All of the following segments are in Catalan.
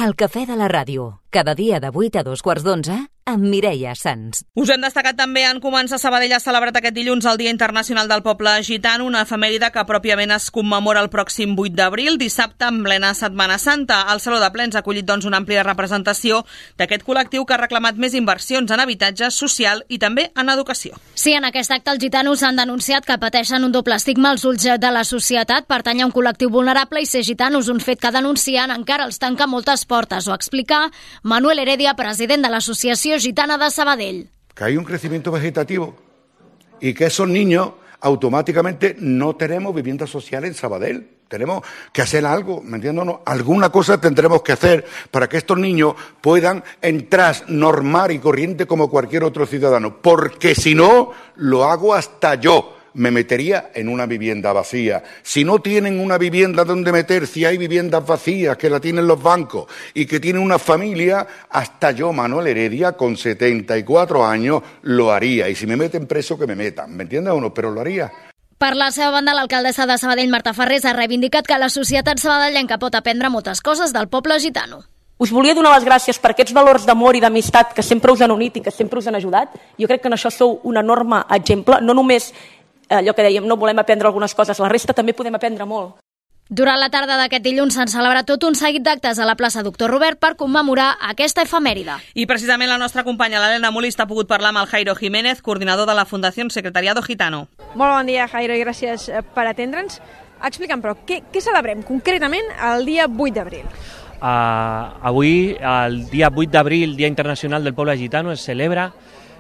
El cafè de la ràdio, cada dia de 8 a 2:15, amb Mireia Sans. Us hem destacat també en començar Sabadell ha celebrat aquest dilluns el Dia Internacional del Poble Gitano, una efemèride que pròpiament es commemora el pròxim 8 d'abril, dissabte en plena Setmana Santa. El Saló de Plens ha acollit doncs una àmplia representació d'aquest col·lectiu que ha reclamat més inversions en habitatge social i també en educació. Sí, en aquest acte els gitanos han denunciat que pateixen un doble estigma als ulls de la societat, pertany a un col·lectiu vulnerable i ser gitanos, un fet que denuncien encara els tanca moltes portes. Ho explica Manuel Heredia, president de l'Associació Gitana de Sabadell. Que hay un crecimiento vegetativo y que esos niños automáticamente no tenemos vivienda social en Sabadell. Tenemos que hacer algo, ¿me entiendes? No, alguna cosa tendremos que hacer para que estos niños puedan entrar normal y corriente como cualquier otro ciudadano, porque si no, lo hago hasta yo. Me metería en una vivienda vacía. Si no tienen una vivienda donde meter, si hay viviendas vacías que la tienen los bancos y que tienen una familia, hasta yo, Manuel Heredia, con 74 años, lo haría. Y si me meten preso, que me metan. ¿Me entiendes o no? Pero lo haría. Per la seva banda, l'alcaldessa de Sabadell, Marta Farrés, ha reivindicat que la societat sabadellenca pot aprendre moltes coses del poble gitano. Us volia donar les gràcies per aquests valors d'amor i d'amistat que sempre us han unit i que sempre us han ajudat. Jo crec que en això sou un enorme exemple, no només allò que dèiem, no volem aprendre algunes coses, la resta també podem aprendre molt. Durant la tarda d'aquest dilluns s'han celebrat tot un seguit d'actes a la plaça Doctor Robert per commemorar aquesta efemèride. I precisament la nostra companya, l'Helena Molist, ha pogut parlar amb el Jairo Jiménez, coordinador de la Fundació Secretariado Gitano. Molt bon dia, Jairo, i gràcies per atendre'ns. Explica'm, però, què celebrem concretament el dia 8 d'abril? Avui, el dia 8 d'abril, Dia Internacional del Poble Gitano, es celebra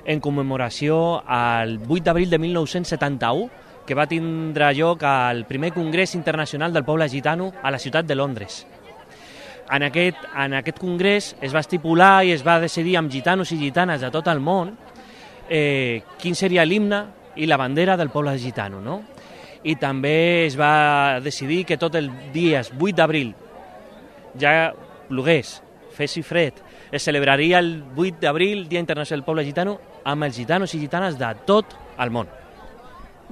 en commemoració al 8 d'abril de 1971, que va tindre lloc al primer Congrés Internacional del Poble Gitano a la ciutat de Londres. En aquest congrés es va estipular i es va decidir amb gitanos i gitanes de tot el món quin seria l'himne i la bandera del poble gitano, no? I també es va decidir que tot el dia 8 d'abril, ja plogués, fes i fred, es celebraria el 8 d'abril, Dia Internacional del Poble Gitano, amb els gitanos i gitanes de tot el món.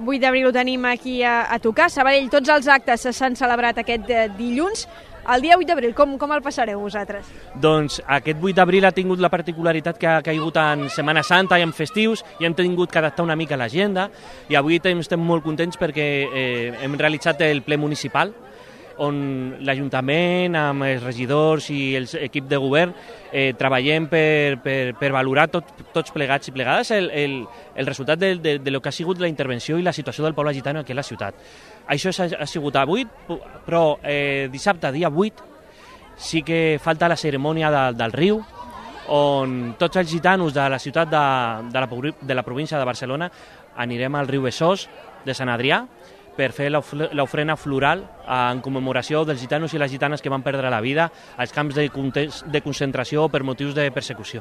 8 d'abril ho tenim aquí a tocar. Sabadell, tots els actes s'han celebrat aquest dilluns. El dia 8 d'abril, com el passareu vosaltres? Doncs aquest 8 d'abril ha tingut la particularitat que ha caigut en Setmana Santa i en festius i hem tingut que adaptar una mica l'agenda i avui estem molt contents perquè hem realitzat el ple municipal on l'Ajuntament, amb els regidors i l'equip de govern, treballem per valorar tots plegats i plegades el resultat de lo que ha sigut la intervenció i la situació del poble gitano aquí a la ciutat. Això ha sigut avui, però dissabte, dia 8, sí que falta la cerimònia del riu, on tots els gitanos de la ciutat de la província de Barcelona anirem al riu Besòs de Sant Adrià, per fer l'ofrena floral en commemoració dels gitanos i les gitanes que van perdre la vida als camps de concentració per motius de persecució.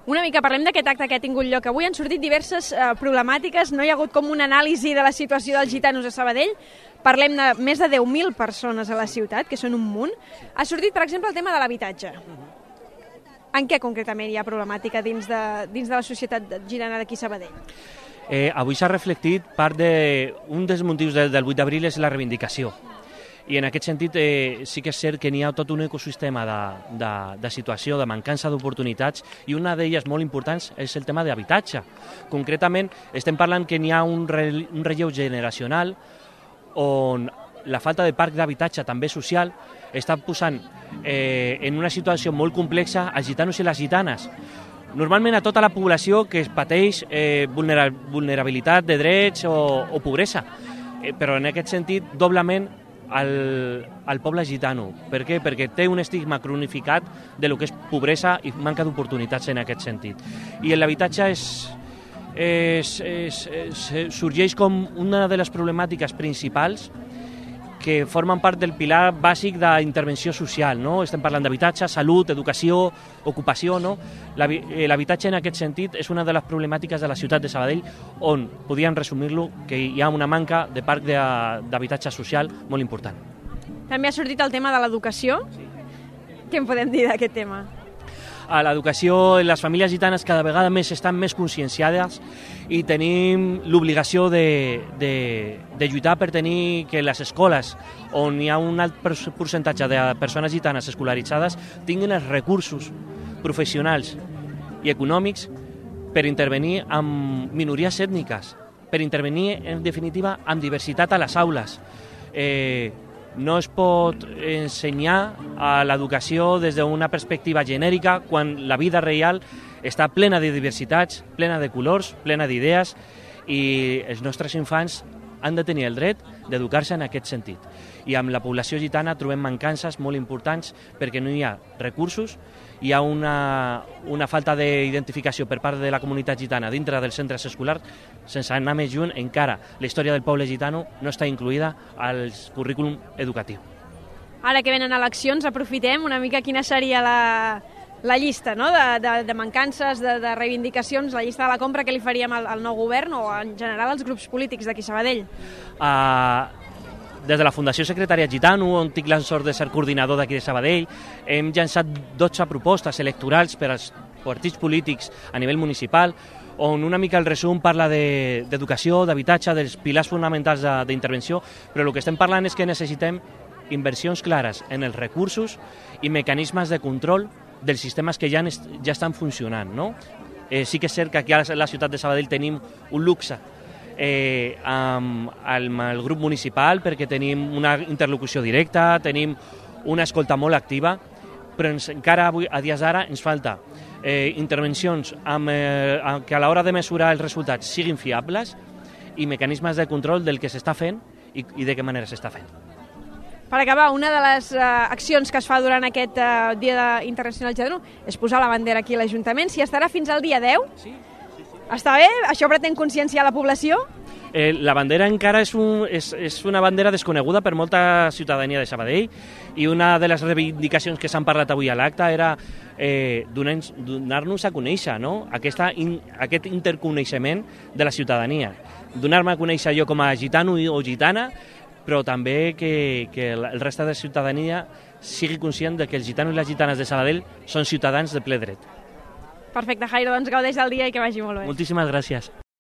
Una mica parlem d'aquest acte que ha tingut lloc. Avui han sortit diverses problemàtiques, no hi ha hagut com una anàlisi de la situació dels gitanos a Sabadell. Parlem de més de 10.000 persones a la ciutat, que són un munt. Ha sortit, per exemple, el tema de l'habitatge. En què concretament hi ha problemàtica dins de la societat gitana d'aquí a Sabadell? Avui s'ha reflectit un dels motius del 8 d'abril és la reivindicació. I en aquest sentit sí que és cert que n'hi ha tot un ecosistema de situació, de mancança d'oportunitats, i una d'elles molt importants és el tema d'habitatge. Concretament, estem parlant que n'hi ha un relleu generacional on la falta de parc d'habitatge, també social, està posant en una situació molt complexa els gitanos i les gitanes. Normalment a tota la població que es pateix vulnerabilitat de drets o pobresa, però en aquest sentit doblement al poble gitano. Per què? Perquè té un estigma cronificat de lo que és pobresa i manca d'oportunitats en aquest sentit. I l'habitatge sorgeix com una de les problemàtiques principals que formen part del pilar bàsic d'intervenció social, no? Estem parlant d'habitatge, salut, educació, ocupació, no? L'habitatge en aquest sentit és una de les problemàtiques de la ciutat de Sabadell, on podríem resumir-lo que hi ha una manca de parc d'habitatge social molt important. També ha sortit el tema de l'educació. Què en podem dir d'aquest tema? a l'educació, les famílies gitanes cada vegada més estan més conscienciades i tenim l'obligació de lluitar per tenir que les escoles on hi ha un alt percentatge de persones gitanes escolaritzades tinguin els recursos professionals i econòmics per intervenir amb minories ètniques, per intervenir, en definitiva, amb diversitat a les aules. No es pot ensenyar a l'educació des d'una perspectiva genèrica quan la vida real està plena de diversitats, plena de colors, plena d'idees i els nostres infants han de tenir el dret d'educar-se en aquest sentit. I amb la població gitana trobem mancances molt importants perquè no hi ha recursos, hi ha una falta d'identificació per part de la comunitat gitana dintre dels centres escolars. Sense anar més lluny, encara la història del poble gitano no està incluïda al currículum educatiu. Ara que venen eleccions, aprofitem una mica quina seria la llista, no? de mancances, de reivindicacions, la llista de la compra que li faríem al nou govern o en general als grups polítics d'aquí Sabadell. Des de la Fundació Secretariat Gitano, on tinc la sort de ser coordinador d'aquí de Sabadell, hem llançat 12 propostes electorals per als partits polítics a nivell municipal, on una mica el resum parla d'educació, d'habitatge, dels pilars fonamentals d'intervenció, però el que estem parlant és que necessitem inversions clares en els recursos i mecanismes de control dels sistemes que ja estan funcionant. No? Sí que és cert que aquí a la ciutat de Sabadell tenim un luxe amb el grup municipal perquè tenim una interlocució directa, tenim una escolta molt activa, però encara avui, a dies d'ara, ens falta intervencions que a l'hora de mesurar els resultats siguin fiables i mecanismes de control del que s'està fent i de què manera s'està fent. Per acabar, una de les accions que es fa durant aquest Dia Internacional Gitano és posar la bandera aquí a l'Ajuntament. Si estarà fins al dia 10? Sí. Està bé? Això pretén conscienciar la població? La bandera encara és una bandera desconeguda per molta ciutadania de Sabadell i una de les reivindicacions que s'han parlat avui a l'acte era donar-nos a conèixer, no? Aquest interconeixement de la ciutadania. Donar-me a conèixer jo com a gitano o gitana, però també que el reste de la ciutadania sigui conscient de que els gitanos i les gitanes de Sabadell són ciutadans de ple dret. Perfecte, Jairo, doncs gaudeix del dia i que vagi molt bé. Moltíssimes gràcies.